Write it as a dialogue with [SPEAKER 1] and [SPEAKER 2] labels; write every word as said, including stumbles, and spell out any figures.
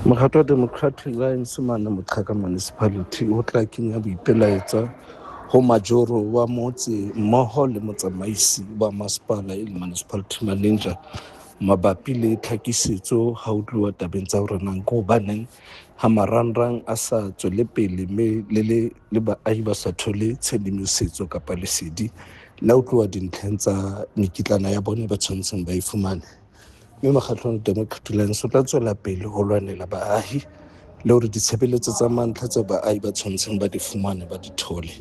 [SPEAKER 1] Mokgatlo wa Democratic Alliance mane Moqhaka Municipality o tla kenya boipelaetsa ho majoro wa motse mmoho le motsamaisi wa masepala e leng municipality manager mabapi le tlhakisetso ha ho tluwa tabeng tsa hore na ke hobaneng ha marangrang a sa tswele pele mme le le le baahi ba sa thole tshedimosetso kapa lesedi la ho tloha dintlheng tsa mekitlana ya bona ba tshwanetseng ba e fumane. Mme mokgatlo wa Democratic Alliance o tla tswela pele ho lwanela baahi le hore ditshebeletso tsa mantlha tse baahi ba tshwanetseng ba di fumane ba di thole.